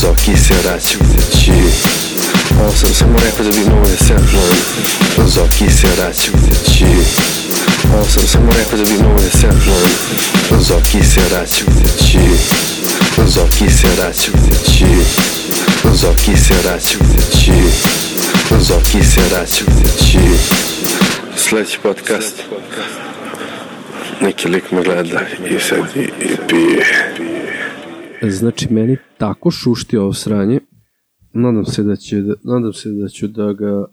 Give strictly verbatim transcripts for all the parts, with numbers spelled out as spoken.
Zoki se vraća kući. Ovo sam samo rekao da bi mogo da se napnujem. Zoki se vraća kući. Ovo sam samo rekao da bi mogo da se napnujem. Zoki se vraća kući. Zoki se vraća kući. Zoki se vraća kući. Zoki se vraća kući. Sljedeći podcast. Neki lik me gleda i sad i, i pije. Znači, meni tako šušti ovo sranje. Nadam se da će da, nadam se da ću da ga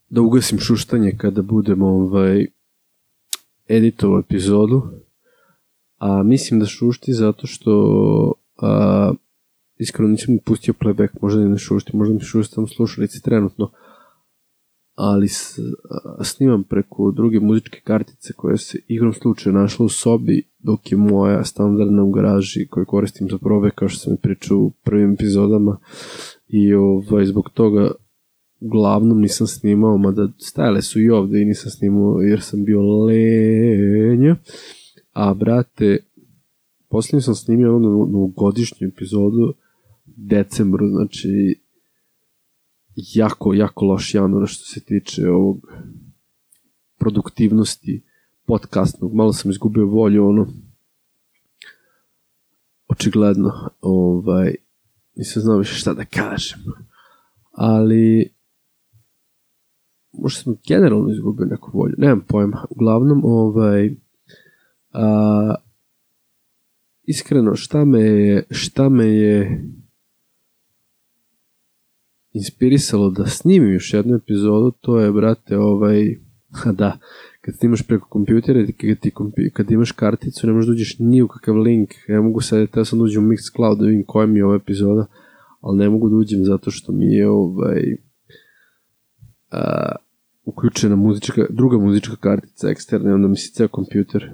da ugasim šuštanje kada budem ovaj editovao epizodu. A mislim da šušti zato što a, iskreno nisam mi pustio playback, možda ne šušti, možda mi šušti samo slušalice trenutno. Ali s, a, snimam preko druge muzičke kartice koja se igrom slučaja našla u sobi dok je moja standardna u garaži koju koristim za probe, kao što sam mi pričao u prvim epizodama, i ovaj, zbog toga uglavnom nisam snimao, mada stajale su i ovde i nisam snimao jer sam bio lenja. A brate, posljednje sam snimio ono novogodišnju epizodu decembru, znači jako, jako loš januar što se tiče ovog produktivnosti podcastnog. Malo sam izgubio volju, ono, očigledno, ovaj, nisam znao više šta da kažem, ali možda sam generalno izgubio neku volju, nemam pojma. Uglavnom, ovaj, a, iskreno, šta me je, šta me je inspirisalo da snimim još jednu epizodu, to je, brate, ovaj, da, kad snimaš preko kompjutera, kad, ti kompi, kad imaš karticu, ne možeš da uđeš ni u kakav link. Ja mogu sad, teo sam da uđem u Mixcloud da vidim koja mi je ova epizoda, ali ne mogu da uđem zato što mi je ovaj, a, uključena muzička, druga muzička kartica eksterna, onda mi se ceo kompjuter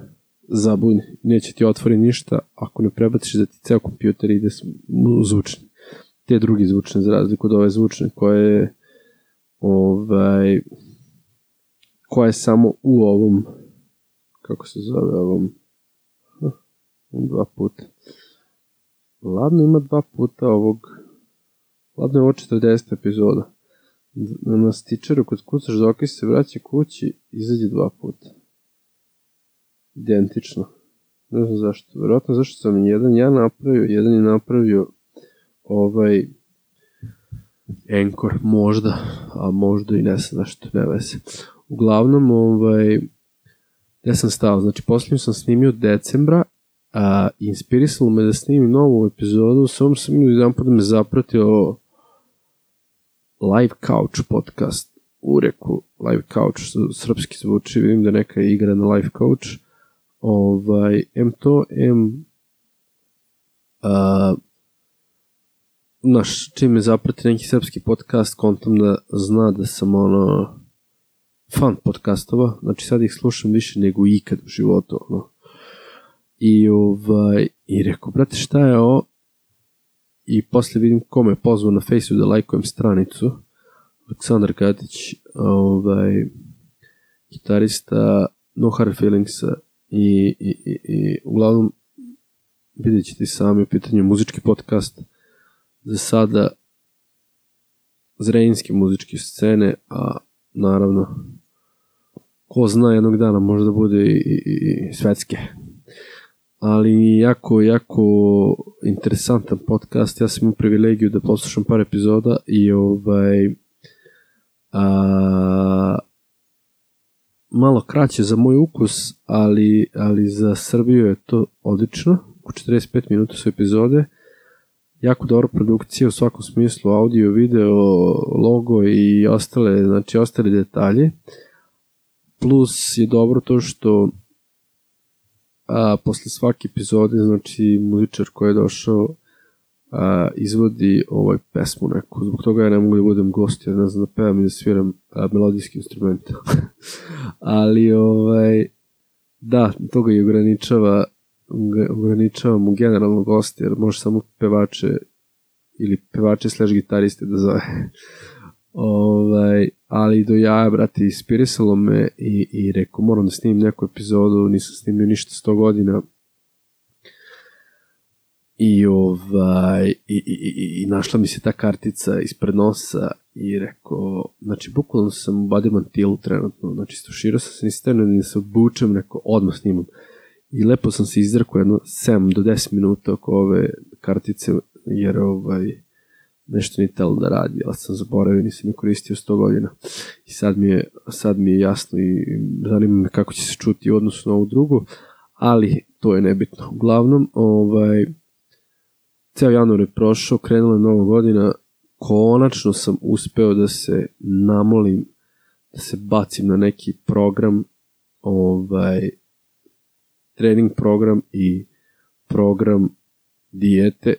zabuni. Neće ti otvori ništa ako ne prebaciš da ti ceo kompjuter ide zvučni. Te drugi zvučne, za razliku od ove zvučne koje ovaj, koja je samo u ovom, kako se zove, ovom, huh, dva puta. Ladno ima dva puta ovog, ladno je ovo četrdeset epizoda. Na stičeru kod kucaš Zoki se vraća kući, izađe dva puta. Identično. Ne znam zašto. Vjerojatno zašto sam jedan ja napravio, jedan je napravio ovaj Anchor, možda, a možda i ne znam zašto, ne veze. Uglavnom, ovaj, ja sam stao, znači posljednju sam snimio decembra, a inspirisalo me da snimim novu epizodu, samo sam imao jedan put da me zapratio Live Couch podcast, u reku Live Couch, što srpski zvuči, vidim da neka igra na Live Couch, ovaj, em to, em a, naš, čim me zaprati neki srpski podcast, kontam da zna da sam ono fan podcastova, znači sad ih slušam više nego ikad u životu, ono. I ovaj, i rekao, brate, šta je ovo? I posle vidim ko me pozvao na Fejsu da lajkujem stranicu. Aleksandar Katić, ovaj, gitarista No Hard Feelingsa i, i, i, i uglavnom vidjet ćete sami u pitanju muzički podcast za sada zrenjinske muzičke scene, a naravno ko zna jednog dana možda bude i, i, i svetske. Ali jako, jako interesantan podcast. Ja sam imao privilegiju da poslušam par epizoda i ovaj a, malo kraće za moj ukus, ali, ali za Srbiju je to odlično. U četrdeset pet minuta su epizode. Jako dobra produkcija u svakom smislu, audio, video, logo i ostale, znači ostale detalje. Plus je dobro to što a, posle svake epizode, znači muzičar koji je došao a, izvodi ovaj pesmu neku. Zbog toga ja ne mogu da budem gost, ja ne znam da pevam i da sviram a, melodijski instrument. Ali ovaj, da, toga i ograničava ograničava mu generalno goste, jer može samo pevače ili pevače slash gitariste da zove. Ovaj, ali do jaja, brate, inspirisalo me i, i rekao, moram da snimim neku epizodu, nisam snimio ništa sto godina. i ovaj i, i, i, i našla mi se ta kartica ispred nosa i rekao, znači bukvalno sam u body mantilu trenutno, znači stuširao sam se ni stane ni se obučem, rekao odmah snimam i lepo sam se izrekao jedno sedam do deset minuta oko ove kartice, jer ovaj nešto nije telo da radi, ali sam zaboravio, nisam je koristio sto godina i sad mi je, sad mi je jasno i zanima me kako će se čuti u odnosu na ovu drugu, ali to je nebitno. Uglavnom, ovaj, ceo januar je prošao, krenula je nova godina, konačno sam uspeo da se namolim, da se bacim na neki program, ovaj, trening program i program dijete,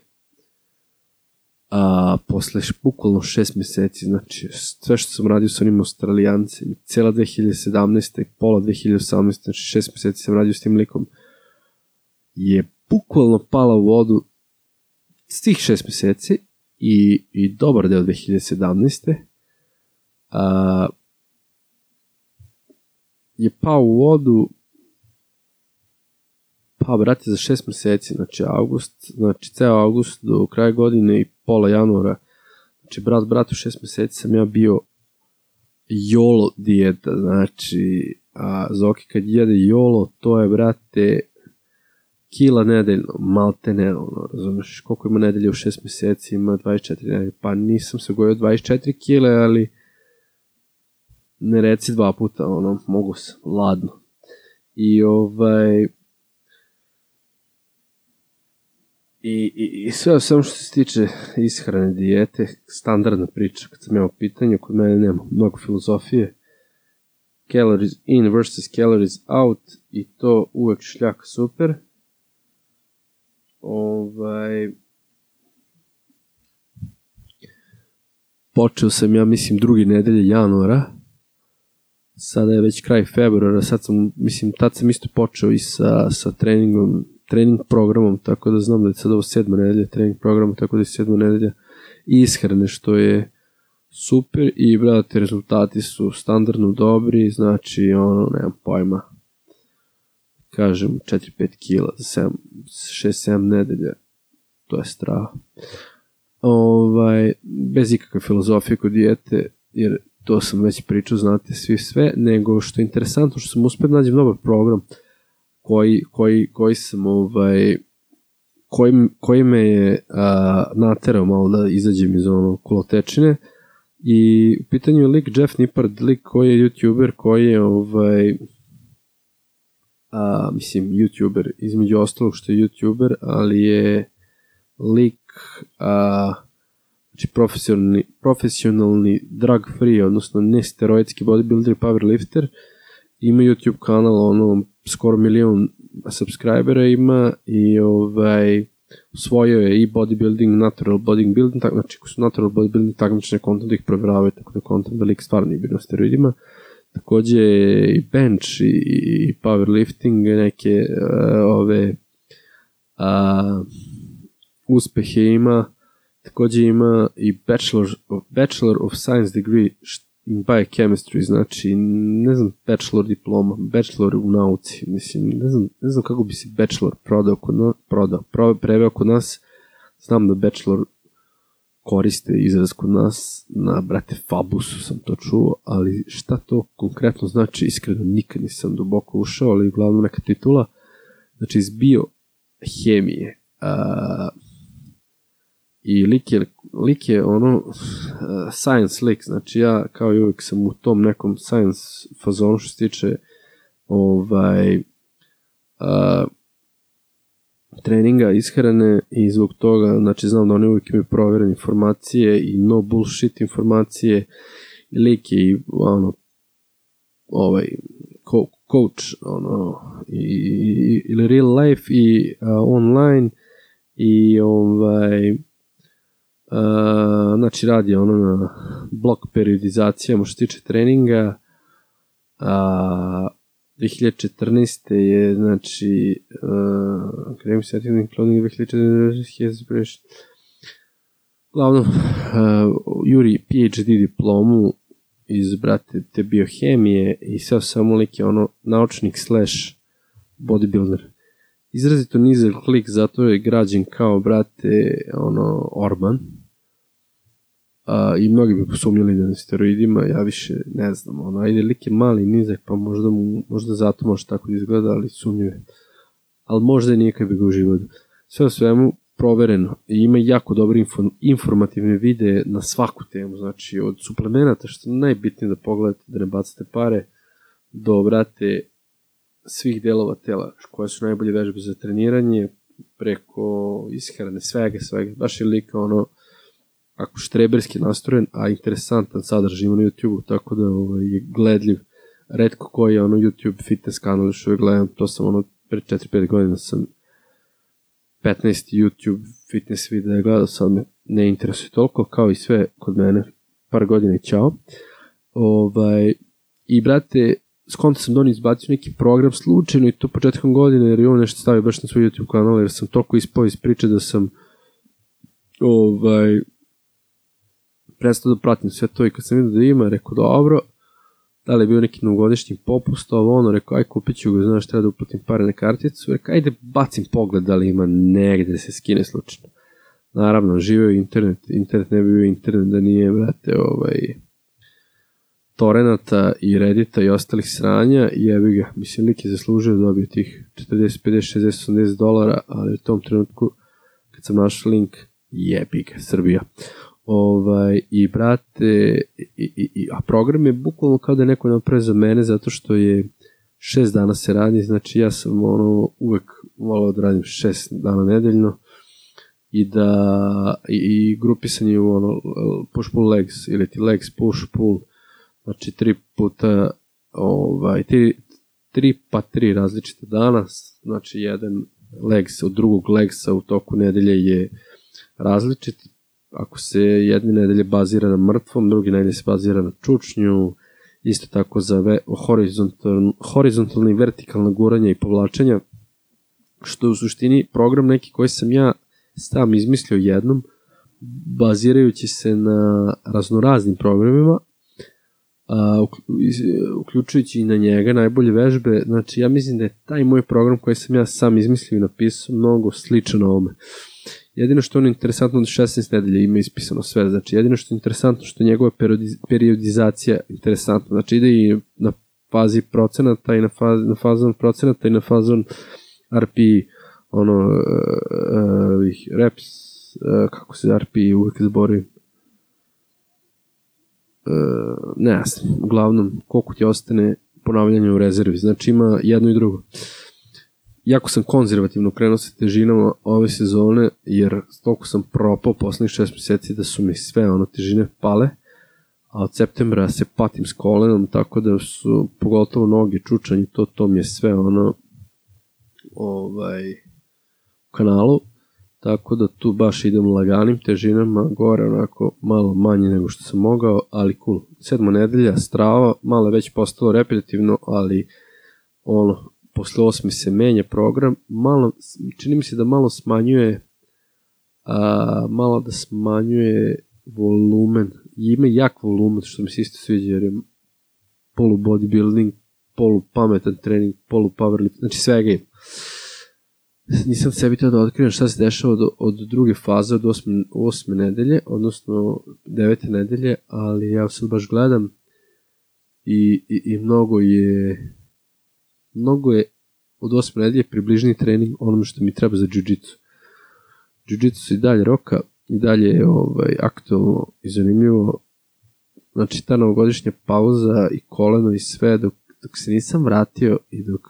a posle bukvalno šest meseci, znači sve što sam radio sa onim Australijancem, cijela dve hiljade sedamnaeste i pola dve hiljade osamnaeste, znači šest meseci sam radio s tim likom, je bukvalno pala u vodu s tih šest meseci i, i dobar deo dve hiljade sedamnaeste a, je pao u vodu pa brate za šest meseci, znači august, znači ceo august do kraja godine i pola januara, znači brat bratu šest meseci sam ja bio jolo dijeta, znači a Zoki kad jede jolo, to je brate kila nedeljno, malte ne, ono, razumeš, koliko ima nedelje u šest meseci, ima dvadeset četiri nedelje, pa nisam se gojio dvadeset četiri kile, ali ne reci dva puta, ono, mogu sam, ladno. I ovaj, i, i, i sve samo što se tiče ishrane, dijete, standardna priča, kad sam imao pitanje, kod mene nema mnogo filozofije, calories in versus calories out, i to uvek šljaka super. Ovaj, počeo sam, ja mislim, drugi nedelje januara, sada je već kraj februara, sad sam, mislim, tad sam isto počeo i sa, sa treningom, trening programom, tako da znam da je sad ovo sedma nedelja trening programa, tako da je sedma nedelja ishrane, što je super i, brate, rezultati su standardno dobri, znači, ono, nemam pojma, kažem, četiri do pet kila za šest sedam nedelja, to je strah. Ovaj, bez ikakve filozofije kod dijete, jer to sam već pričao, znate svi sve, nego što je interesantno, što sam uspio da nađem dobar program koji, koji, koji sam, ovaj, koji, koji me je a, naterao malo da izađem iz ono kolotečine, i u pitanju je lik Jeff Nippard, lik koji je youtuber, koji je ovaj, a, mislim, youtuber, između ostalog što je youtuber, ali je lik, a, znači profesionalni, profesionalni drug free, odnosno nesteroidski bodybuilder i powerlifter, ima YouTube kanal, ono, skoro milion subscribera ima, i ovaj, usvojio je i bodybuilding, natural bodybuilding, tak, znači ko su natural bodybuilding takmične konta da ih provjeravaju, tako da konta da lik stvarno nije bio na steroidima. Takođe i bench i, i powerlifting, neke uh, ove uh, uspehe ima. Takođe ima i Bachelor of, Bachelor of Science degree in Biochemistry, znači ne znam, bachelor diploma, bachelor u nauci, mislim, ne znam, ne znam kako bi se bachelor prodao kod nas, prodao, preveo kod nas, znam da bachelor koriste izraz kod nas, na, brate, Fabusu sam to čuo, ali šta to konkretno znači, iskreno nikad nisam duboko ušao, ali uglavnom neka titula, znači iz biohemije, a, i lik je, lik je ono uh, science lik, znači ja kao i uvijek sam u tom nekom science fazonu što se tiče ovaj uh, treninga, ishrane, i zbog toga, znači znam da oni uvijek imaju provjerene informacije i no bullshit informacije, i lik je i ono ovaj co- coach ono i, ili real life i uh, online, i ovaj Uh, znači radi ono na blok periodizacijama što se tiče treninga. uh, dve hiljade četrnaeste je, znači uh, kremi setting clothing dve hiljade četrnaeste glavno uh, juri P H D diplomu iz, brate, te biohemije, i sve samo lik je ono naučnik slash bodybuilder, izrazito nizak klik, zato je građen kao, brate, ono, Orban. A, i mnogi bi posumnjali da na steroidima, ja više ne znam, ono, ajde, lik je mali, nizak, pa možda, mu, možda zato može tako da izgleda, ali sumnjuje. Ali možda i nije kad bi ga uživao. Sve o svemu provereno i ima jako dobre info, informativne videe na svaku temu, znači od suplemenata, što je najbitnije da pogledate, da ne bacate pare, do, brate, svih delova tela, koje su najbolje vežbe za treniranje, preko ishrane, svega, svega, baš je lika, ono, ako štreberski nastrojen, a interesantan sadržaj ima na YouTube-u, tako da ovaj, je gledljiv. Retko koji je ono YouTube fitness kanal, još uvijek gledam, to sam ono, pre četiri pet godina sam petnaest YouTube fitness videa gledao, sad me ne interesuje toliko, kao i sve kod mene, par godina i čao. Ovaj, I, brate, skonto sam donio izbacio neki program slučajno i to početkom godine, jer je on nešto stavio baš na svoj YouTube kanal, jer sam toliko ispao iz priče da sam ovaj, prestao da pratim sve to i kad sam vidio da ima, rekao dobro, da li je bio neki novogodišnji popust, ovo ono, rekao, aj kupit ću ga, znaš, treba da uplatim pare na karticu, rekao, ajde bacim pogled da li ima negde da se skine slučajno. Naravno, živeo je internet, internet ne bi bio internet da nije, brate, ovaj, Torenata i Reddita i ostalih sranja, jebi ga, mislim, lik je zaslužio da dobije tih četrdeset, pedeset, šezdeset, osamdeset dolara, ali u tom trenutku, kad sam našao link, jebi ga, Srbija. Ovaj, i brate, i, i, i, a program je bukvalno kao da je neko napravio za mene, zato što je šest dana se radi, znači ja sam ono uvek volao da radim šest dana nedeljno i da i, i grupisanje u ono push pull legs ili ti legs push pull, znači tri puta ovaj, tri, tri pa tri različite dana, znači jedan legs od drugog legsa u toku nedelje je različit. Ako se jedne nedelje bazira na mrtvom, drugi nedelje se bazira na čučnju, isto tako za ve, horizontalno, horizontalno i vertikalno guranje i povlačenja, što je u suštini program neki koji sam ja sam izmislio jednom, bazirajući se na raznoraznim programima, a, uključujući i na njega najbolje vežbe. Znači ja mislim da je taj moj program koji sam ja sam izmislio i napisao mnogo sličan ovome. Jedino što je ono interesantno od šesnaest nedelja ima ispisano sve, znači jedino što je interesantno što je njegova periodizacija interesantna, znači ide i na fazi procenata i na, faz, na fazon procenata i na fazon R P, ono, uh, uh, reps, uh, kako se R P uvijek zbori, uh, ne znam, uglavnom koliko ti ostane ponavljanje u rezervi, znači ima jedno i drugo. Jako sam konzervativno krenuo sa težinama ove sezone, jer toliko sam propao poslednjih šest meseci da su mi sve ono težine pale, a od septembra se patim s kolenom, tako da su pogotovo noge, čučanje, to, to mi je sve ono ovaj, u kanalu, tako da tu baš idem laganim težinama, gore onako malo manje nego što sam mogao, ali cool. Sedma nedelja, strava, malo već postalo repetitivno, ali ono, posle osmi se menja program, malo, čini mi se da malo smanjuje, a, malo da smanjuje volumen, ima jak volumen, što mi se isto sviđa, jer je polu bodybuilding, polu pametan trening, polu powerlifting, znači svega je. Nisam sebi to da otkrivam šta se dešava od, od druge faze, od osme, osme nedelje, odnosno devete nedelje, ali ja sad baš gledam i, i, i mnogo je mnogo je od osme nedelje približni trening onome što mi treba za jiu-jitsu. Jiu-jitsu se i dalje roka, i dalje je ovaj, aktualno i zanimljivo. Znači ta novogodišnja pauza i koleno i sve, dok, dok se nisam vratio i dok,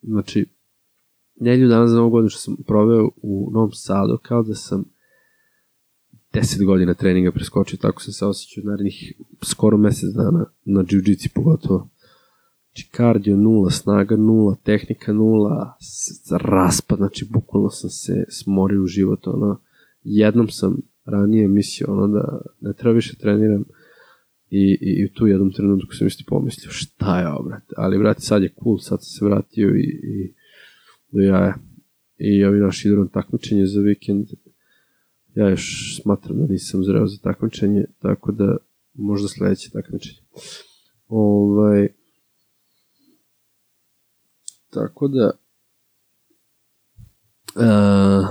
znači, nedelju dana za novu godinu što sam proveo u Novom Sadu, kao da sam deset godina treninga preskočio, tako sam se osjećao narednih skoro mesec dana na jiu-jitsu pogotovo. Znači kardio nula, snaga nula, tehnika nula, raspad, znači bukvalno sam se smorio u život, ono, jednom sam ranije mislio, ono, da ne treba više treniram i, i, i u tu jednom trenutku sam isto pomislio, šta je ovo, brate, ali, brate, sad je cool, sad sam se vratio i, i do jaja, i ovi naši idu na takmičenje za vikend, ja još smatram da nisam zreo za takmičenje, tako da možda sledeće takmičenje. Ovaj, Tako da, Uh,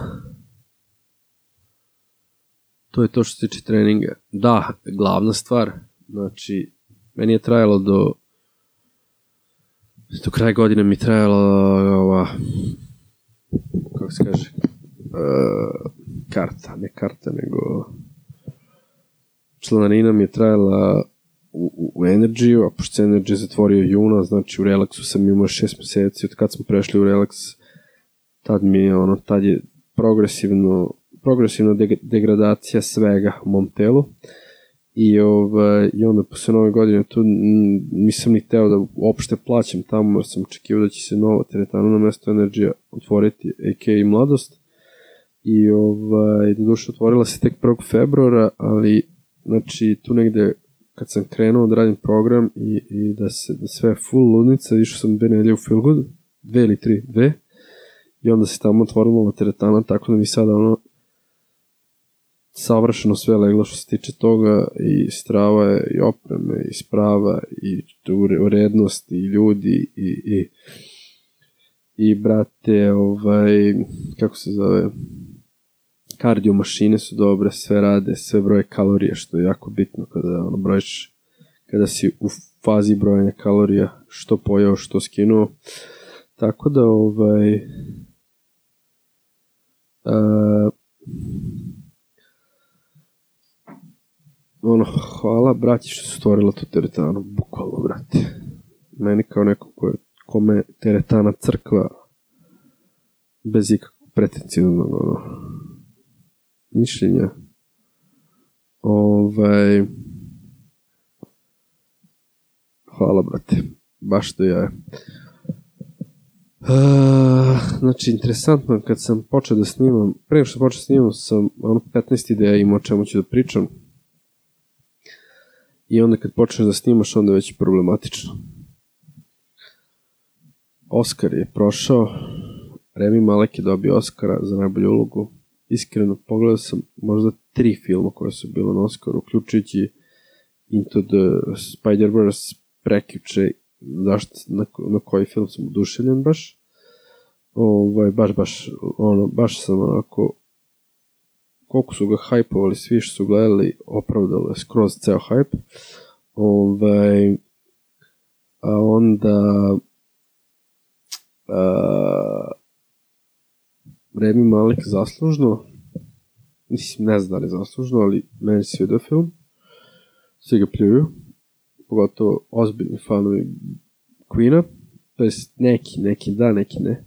to je to što se tiče treninga. Da, glavna stvar, znači, meni je trajalo do do kraja godine mi je trajalo ova, kako se kaže, uh, karta, ne karta, nego članarina mi je trajala u, u Energy-u, a pošto se Energy zatvorio juna, znači u Relaxu sam imao šest meseci, od kad smo prešli u Relax, tad mi je, ono, tad je progresivno, progresivna de- degradacija svega u mom telu, i, ovaj, i onda posle nove godine tu m, nisam ni teo da uopšte plaćam tamo, jer sam očekivao da će se nova teretana na mesto Energy otvoriti, a k a. Mladost, i ovaj, do duše otvorila se tek prvog februara, ali znači tu negde kad sam krenuo da radim program i, i da se da sve full ludnica, išao sam dve nedelje u Feelgood, dve ili tri, dve, i onda se tamo otvorila teretana, tako da mi sada ono savršeno sve leglo što se tiče toga, i strava je, i opreme, i sprava, i urednost, i ljudi, i, i, i brate, ovaj, kako se zove, kardio mašine su dobre, sve rade, sve broje kalorije, što je jako bitno kada ono brojiš, kada si u fazi brojanja kalorija, što pojeo, što skinuo, tako da ovaj uh, ono, hvala braći što su stvorila tu teretanu, bukvalno, brate. Meni kao neko ko je, kome teretana crkva bez ikakvog pretencijnog ono, mišljenja. Ovaj, hvala, brate. Baš to ja. Uh, znači, interesantno, kad sam počeo da snimam, prije što počeo da snimam, sam ono petnaest ideja imao o čemu ću da pričam. I onda kad počneš da snimaš, onda je već problematično. Oskar je prošao, Rami Malek je dobio Oskara za najbolju ulogu. Iskreno, pogledao sam možda tri filma koje su bile na Oskaru, uključujući Into the Spider-Verse prekjuče, zašto, na, na koji film sam oduševljen baš. Ovaj, baš, baš, ono, baš sam onako, koliko su ga hajpovali, svi što su gledali, opravdalo je skroz ceo hajp. Ovaj, a onda a, Rami Malek zaslužno, mislim, ne znam da li zaslužno, ali meni se svidio film, svi ga pljuju, pogotovo ozbiljni fanovi Queena, to jest neki, neki da, neki ne.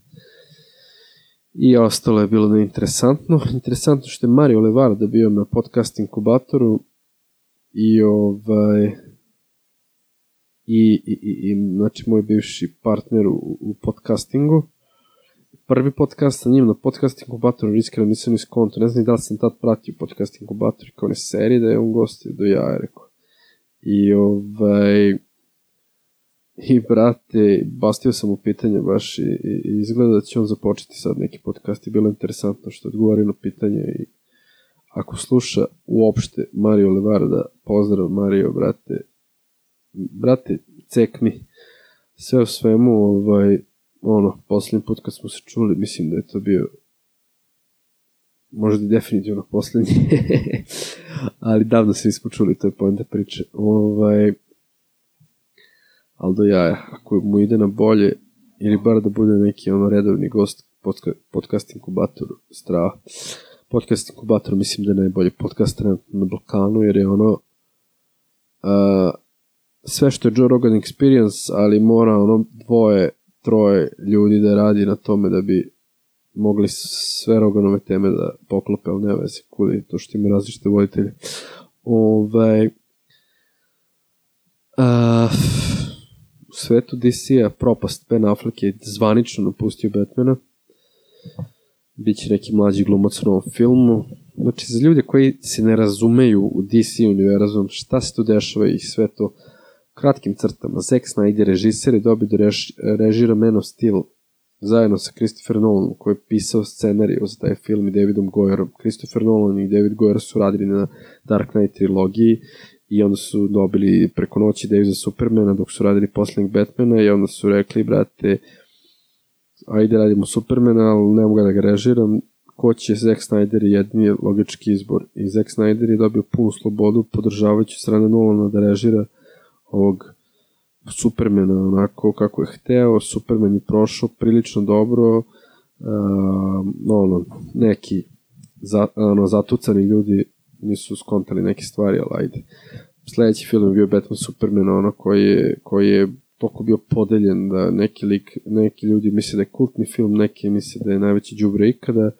I ostalo je bilo neinteresantno. Interesantno što je Mario Levarda bio na podcast inkubatoru i ovaj i, i, i, i znači moj bivši partner u, u podcastingu. Prvi podcast sa njim na podcast inkubatoru, iskreno nisam ni skonto, ne znam da li sam tad pratio podcast inkubator kao ne serije da je on gostio do ja, je rekao. I ovaj i brate, bastio sam u pitanje baš i, i, i izgleda da će on započeti sad neki podcast i bilo interesantno što odgovori na pitanje i ako sluša uopšte Mario Levarda, pozdrav Mario, brate, brate, cek mi, sve u svemu, ovaj, ono, posljednji put kad smo se čuli, mislim da je to bio možda i definitivno posljednji, ali davno se nismo čuli, to je poenta priče, ovaj, ali do jaja, ako mu ide na bolje, ili bar da bude neki ono redovni gost podca, podcast inkubatoru, strava. Podcast inkubator mislim da je najbolji podcast na Balkanu, jer je ono uh, sve što je Joe Rogan Experience, ali mora ono dvoje, troje ljudi da radi na tome da bi mogli sve Roganove teme da poklope, ali ne veze, kudi to što ima različite voditelje. Ovaj uh, u svetu D C-a propast, Ben Affleck je zvanično napustio Batmana. Biće neki mlađi glumac u novom filmu. Znači, za ljude koji se ne razumeju u D C univerzum, šta se tu dešava i sve to kratkim crtama. Zack Snyder, režiser, je dobio da rež, režira Man of Steel zajedno sa Christopher Nolanom, koji je pisao scenariju za taj film i Davidom Goyerom. Christopher Nolan i David Goyer su radili na Dark Knight trilogiji i onda su dobili preko noći ideju za Supermana dok su radili posljednjeg Batmana i onda su rekli, brate, ajde radimo Supermana, ali ne mogu da ga režiram, ko će Zack Snyder je jedini logički izbor. I Zack Snyder je dobio punu slobodu podržavajući strane Nolana da režira ovog Supermana onako kako je hteo. Superman je prošao prilično dobro, uh, ono, neki za, ono, zatucani ljudi nisu skontali neke stvari, ali ajde. Sledeći film je bio Batman Superman, ono koji je, koji je toliko bio podeljen da neki lik, neki ljudi misle da je kultni film, neki misle da je najveći đubre ikada.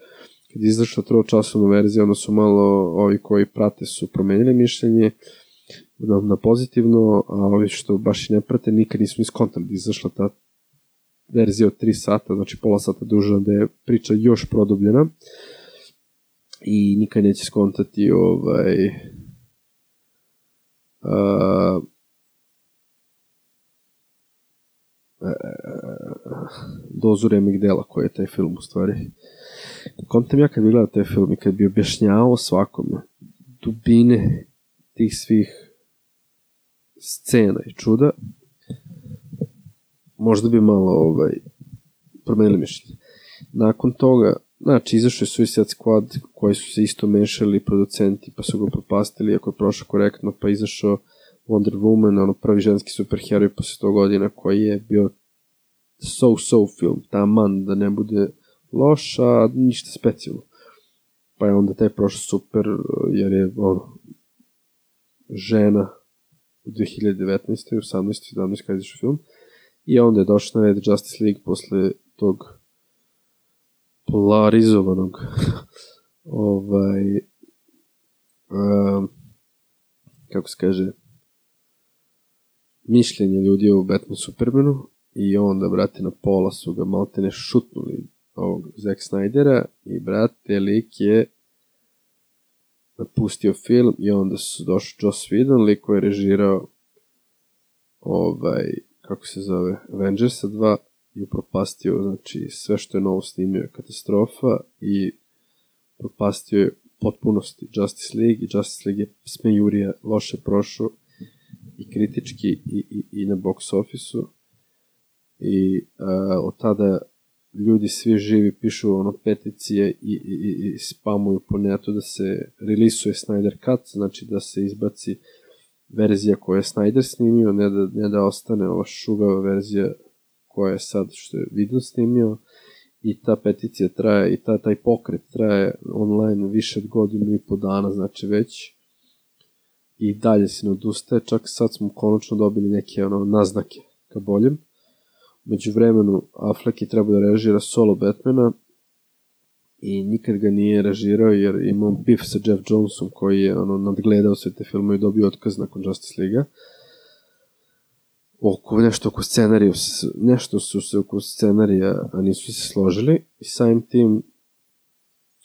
Kad je izašla tročasovna verzija, onda su malo ovi koji prate su promenili mišljenje na, na pozitivno, a ovi što baš i ne prate nikad nisu ni skontali da izašla ta verzija od tri sata, znači pola sata duža, da je priča još produbljena i nikad neće skontati ovaj uh, dozu remek dela koji je taj film u stvari. Kontam ja kad bi gledao taj film i kad bi objašnjavao svakome dubine tih svih scena i čuda, možda bi malo ovaj, promenili mišljenje. Nakon toga, znači, izašao je Suicide Squad koji su se isto mešali producenti pa su ga propastili, ako je prošao korektno, pa izašao Wonder Woman, ono prvi ženski superheroj posle sto godina koji je bio so-so film, taman da ne bude loš, a ništa specijalno. Pa je onda taj prošao super, jer je ono, žena u dve hiljade devetnaestoj, osamnaestoj, sedamnaestoj kada je izašao film, i onda je došao na red Justice League posle tog polarizovanog ovaj um, kako se kaže mišljenje ljudi o Batman Supermanu, i onda, brate, na pola su ga maltene šutnuli ovog Zack Snydera i, brate, lik je napustio film i onda su došli Joss Whedon, lik koji je režirao ovaj, kako se zove, Avengersa dva i upropastio, znači, sve što je novo snimio je katastrofa i propastio je potpunosti Justice League i Justice League je smejurija, loše prošao i kritički i, i, i na box office-u i a, od tada ljudi svi živi pišu ono peticije i, i, i, i spamuju po netu da se releasuje Snyder Cut, znači da se izbaci verzija koju je Snyder snimio, ne da, ne da ostane ova šugava verzija koja je sad što je Whedon snimio, i ta peticija traje i ta, taj pokret traje online više od godinu i po dana, znači već, i dalje se ne odustaje, čak sad smo konačno dobili neke ono, naznake ka boljem. Među vremenu Affleck je trebao da režira solo Batmana i nikad ga nije režirao jer imao bif sa Jeff Jonesom koji je ono, nadgledao sve te filme i dobio otkaz nakon Justice League-a. Oko, nešto oko scenarija, nešto su se oko scenarija, a nisu se složili, i samim tim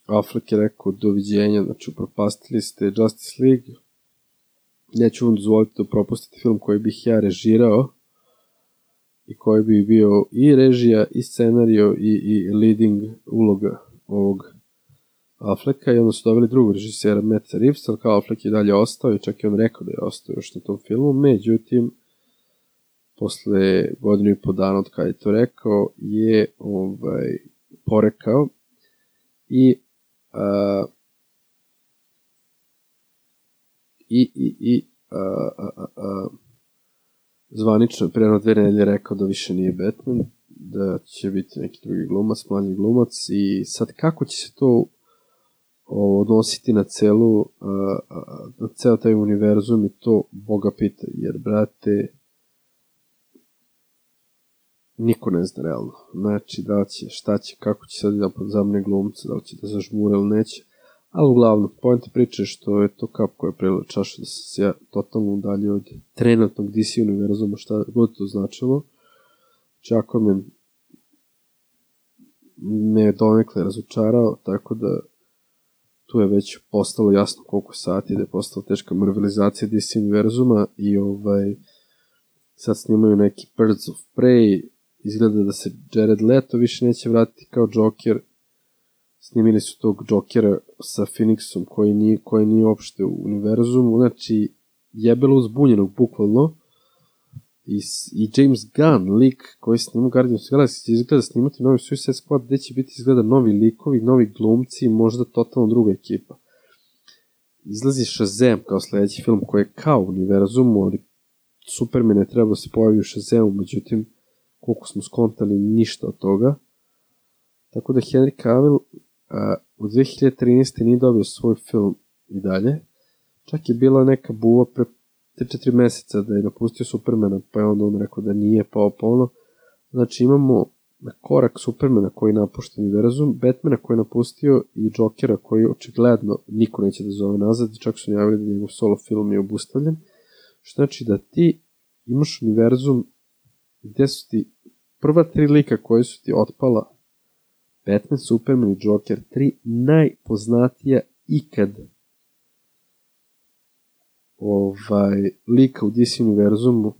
Affleck je rekao doviđenja, znači upropastili ste Justice League, neću vam dozvoliti da propustite film koji bih ja režirao i koji bi bio i režija, i scenario, i, i leading uloga ovog Afflecka, i onda su dobili drugog režisera, Matt Reeves, ali kao Affleck je dalje ostao i čak je on rekao da je ostao još na tom filmu, međutim, posle godinu i po dana od kada je to rekao, je ovaj, porekao i a, i, i, i a, a, a, zvanično je preno dve nedelje rekao da više nije Batman, da će biti neki drugi glumac, mlađi glumac, i sad kako će se to odnositi na celu, a, a, na ceo taj univerzum, i to Boga pita, jer, brate, niko ne zna realno. Znači, da će, šta će, kako će sad da zamne glumca, da li će da zažmura ili neće. Ali uglavnom, pojenta priče što je to kap koja je prelila čaša, da sam se ja totalno udalje od trenutnog D C univerzuma, šta god to značilo. Čako me me je donekle razočarao, tako da tu je već postalo jasno koliko sati, da je postala teška marvelizacija D C univerzuma, i ovaj sad snimaju neki Birds of Prey, izgleda da se Jared Leto više neće vratiti kao Joker, snimili su tog Jokera sa Phoenixom koji nije, koji nije uopšte u univerzumu, znači jebelo uzbunjenog bukvalno, I, i James Gunn, lik koji snima Guardians of the Galaxy, će izgleda snimati novi Suicide Squad, gde će biti izgleda novi likovi, novi glumci, možda totalno druga ekipa. Izlazi Shazam kao sledeći film koji je kao univerzumu, ali Superman je trebao se pojavi u Shazamu, međutim, koliko smo skontali, ništa od toga. Tako da Henry Cavill a, u dve hiljade trinaeste nije dobio svoj film i dalje. Čak je bila neka buva pre tri četiri meseca da je napustio Supermana, pa je onda on rekao da nije, pa opolno. Znači imamo na korak Supermana koji napušta univerzum, Batmana koji je napustio i Jokera koji očigledno niko neće da zove nazad, čak su najavili da njegov solo film je obustavljen. Što znači da ti imaš univerzum gde su ti prva tri lika koje su ti otpala, Batman, Superman i Joker, tri najpoznatija ikad ovaj, lika u D C univerzumu.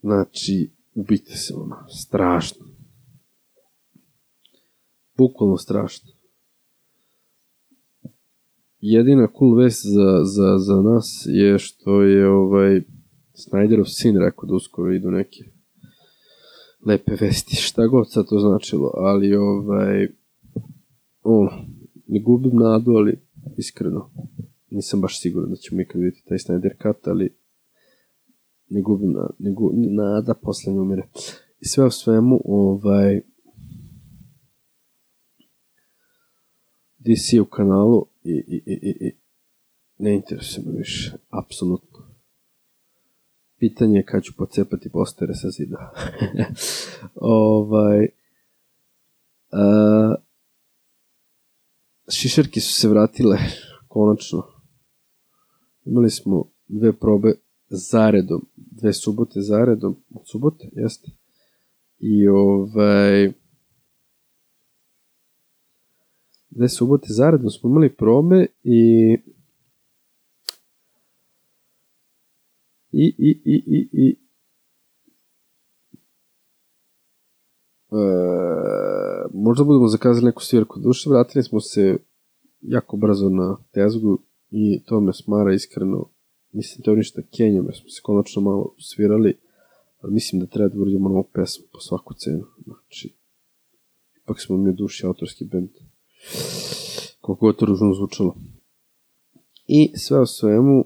Znači, ubite se ono, strašno. Bukvalno strašno. Jedina cool vest za, za, za nas je što je ovaj Snyderov sin rekao da uskoro idu neke lepe vesti, šta god sad to značilo, ali ovaj ono, ne gubim nadu, ali iskreno nisam baš siguran da ćemo ikad vidjeti taj Snyder cut, ali ne gubim nadu, ne gubim, nada posle ne umire. I sve u svemu, ovaj D C u kanalu i, i, i, i, i ne interesuje me više, apsolutno. Pitanje je kad ću pocepati postere sa zida. ovaj, a, šišerke su se vratile, konačno. Imali smo dve probe zaredom, dve subote zaredom, od subote, jeste. I ovaj, dve subote zaredom smo imali probe i I, i, i, i, i e, možda budemo zakazali neku svirku. Duše, vratili smo se jako brzo na tezgu i to me smara iskreno. Mislim to ništa Kenjom, jer smo se konačno malo svirali, ali mislim da treba da uradimo novu pesmu po svaku cenu. Znači, ipak smo mi u duši autorski band. Koliko je to ružno zvučalo. I sve o svemu,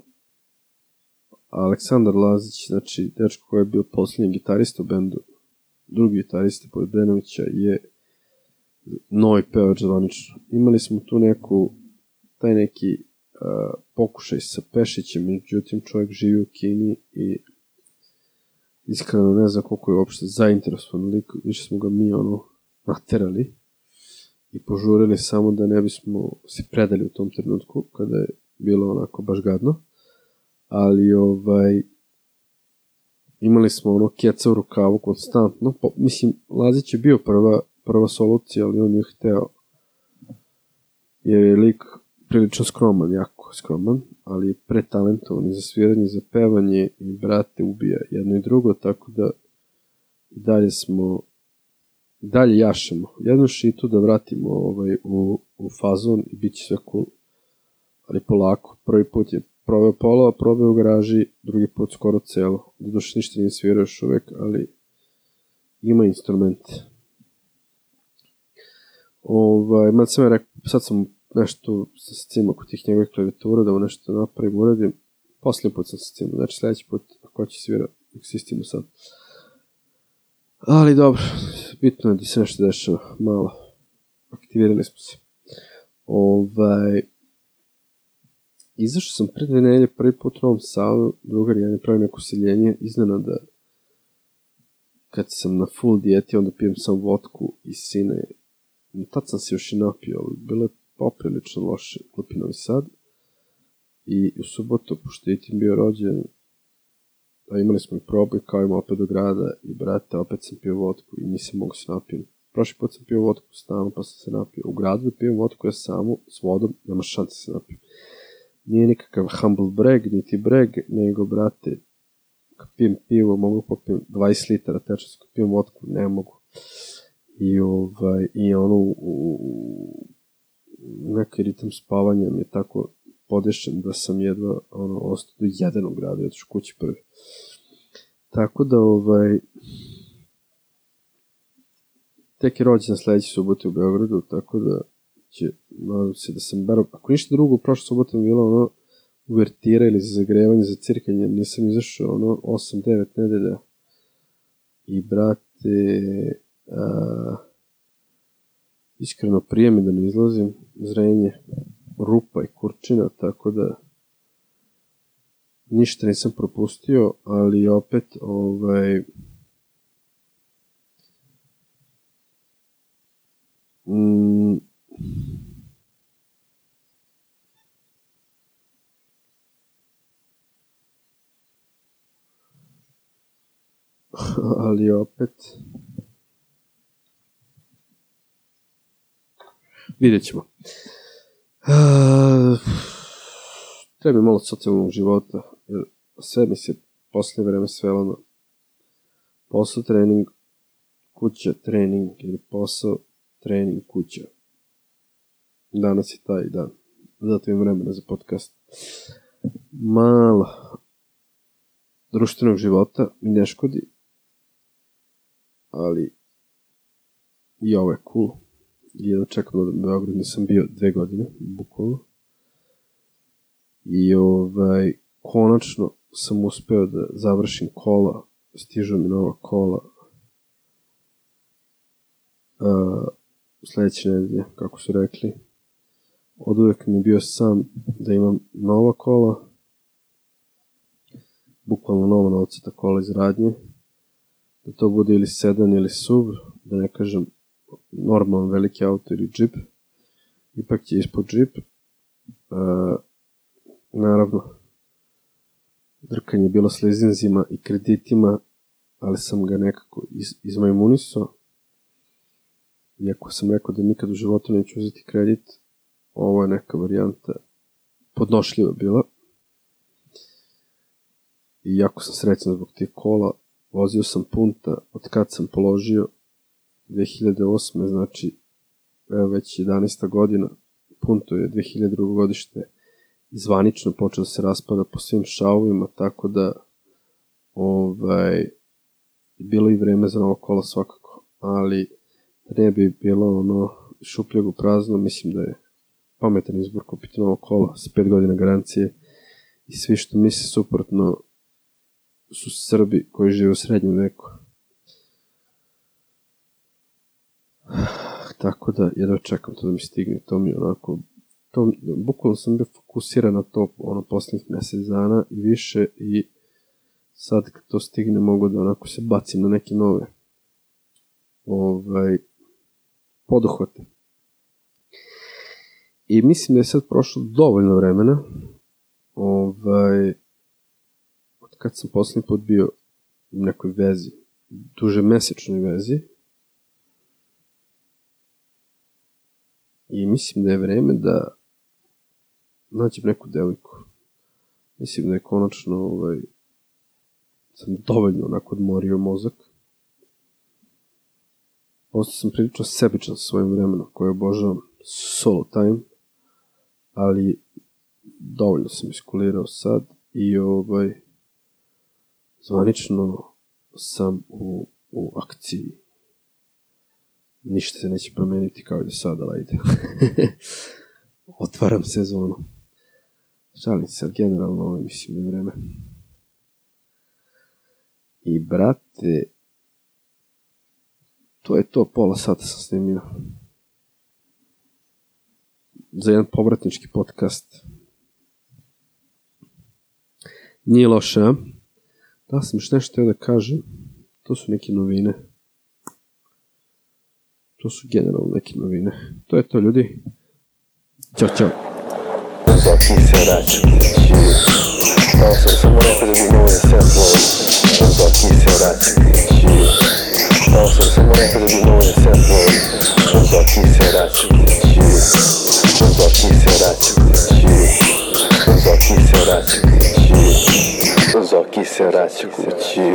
Aleksandar Lazić, znači dečko koji je bio poslednji gitarista u bendu, drugi gitarista pored Brenovića, je novi pevač zvanično. Imali smo tu neku, taj neki uh, pokušaj sa Pešićem, međutim čovjek živi u Kini i iskreno ne znam koliko je uopšte zainteresovan lik, više smo ga mi ono naterali i požurili samo da ne bismo se predali u tom trenutku kada je bilo onako baš gadno. Ali ovaj imali smo ono keca u rukavu konstantno, po, mislim Lazić je bio prva, prva solucija, ali on je hteo, jer je lik prilično skroman, jako skroman, ali je pretalentovan i za sviranje, za pevanje i brate ubija jedno i drugo, tako da i dalje smo i dalje jašemo jednu šitu da vratimo ovaj, u, u fazon i bit će sve cool, ali polako. Prvi put je proveo pola, probao u garaži, drugi put skoro celo. Doduše ništa nije svirao još uvek, ali ima instrument. Ovaj, mada sam ja rekao, sad sam nešto sa scima kod tih njegovih klavijatura, da mu nešto napravim, uradim. Posljednji put sam sa scima, znači sledeći put, ako će svira, nek se istimo sad. Ali dobro, bitno je da se nešto dešava, malo. Aktivirali smo se. Ovaj... Izašao sam pred dve nedelje prvi put u Novom Sadu, drugar ja ne pravim neko seljenje, iznenada kad sam na full dijeti, onda pijem sam vodku i sine. Tad sam se još i napio, ali bilo je poprilično loše klupi Novi Sad. I u subotu, pošto je tim bio rođen, a imali smo i probu i kao ima opet do grada i brate, opet sam pio vodku i nisam mogu se napijem. Prošli put sam pio vodku u stanu, pa sam se napio. U gradu pijem vodku ja samo, s vodom, nema šanse se napijem. Nije nikakav humble brag, niti brag, nego, brate, kad pijem pivo, mogu popijem dvadeset litara tečnosti, kad pijem vodku, ne mogu. I, ovaj, i ono, u, u, neki ritam spavanja mi je tako podešen da sam jedva ono, ostao do jedan u gradu, otišao kući prvi. Tako da, ovaj, tek je rođen sledeće subote u Beogradu, tako da će, nadam se da sam bar, ako ništa drugo, prošle subote mi bilo ono uvertira ili za zagrevanje, za cirkanje, nisam izašao ono osam devet nedelja. I brate, a, iskreno prije mi da ne izlazim, zrenje, rupa i kurčina, tako da ništa nisam propustio, ali opet, ovaj, mm, ali opet vidjet ćemo. Uh, treba mi malo socijalnog života, jer sve mi se posle vreme svelo na posao, trening, kuća, trening, ili posao, trening, kuća. Danas je taj dan, zato imam vremena za podcast. Malo društvenog života mi ne škodi, ali i ovo je cool. I jedno čekam da u Beogradu nisam bio dve godine, bukvalno. I ovaj, konačno sam uspeo da završim kola, stižu mi nova kola uh, sledeće nedelje, kako su rekli. Od uvek mi je bio sam da imam nova kola, bukvalno nova novcata kola iz radnje, da to bude ili sedan ili sub, da ne kažem normalan veliki auto ili džip, ipak je ispod džip. Uh, naravno, drkanje je bilo s leasinzima i kreditima, ali sam ga nekako iz, izmajmunisao. Iako sam rekao da nikad u životu neću uzeti kredit, ovo je neka varijanta podnošljiva bila. I jako sam srećan zbog tih kola, vozio sam punta od kad sam položio dve hiljade osme, znači evo već jedanaesta godina, punto je dve hiljade drugo godište i zvanično počeo da se raspada po svim šavovima, tako da ovaj, bilo i vreme za novo kola svakako, ali ne bi bilo ono šupljego prazno, mislim da je pametan izbor kupiti novo kola sa pet godina garancije i svi što misle suprotno su Srbi koji žive u srednjem veku. Tako da jedva čekam to da mi stigne, to mi onako, to, bukvalno sam bio fokusiran na to ono poslednjih mesec dana i više i sad kad to stigne mogu da onako se bacim na neke nove ovaj, poduhvate. I mislim da je sad prošlo dovoljno vremena, ovaj, od kad sam poslednji put bio u nekoj vezi, duže mesečnoj vezi, i mislim da je vreme da nađem neku devojku. Mislim da je konačno ovaj, sam dovoljno onako odmorio mozak. Ostao sam prilično sebičan sa svojim vremenom koje obožavam, solo time, ali dovoljno sam iskulirao sad i ovaj, zvanično sam u, u akciji. Ništa se neće promeniti kao i do sada, ali ajde. Otvaram sezonu. Šalim se, generalno ovo mislim da je vreme. I brate, to je to, pola sata sam snimio. Za jedan povratnički podcast. Nije loše, a? Da sam još nešto htio da kažem. To su neke novine. To su generalno neke novine. To je to, ljudi. Ćao, čao. Zoki se vraća kući. Stao sam samo rekao da bi mogo da se upload. Zoki se vraća kući. Stao sam samo rekao da bi mogo da se upload. Zoki se vraća kući. Zoki se vraća kući. Zoki se vraća kući. Zoki se vraća kući.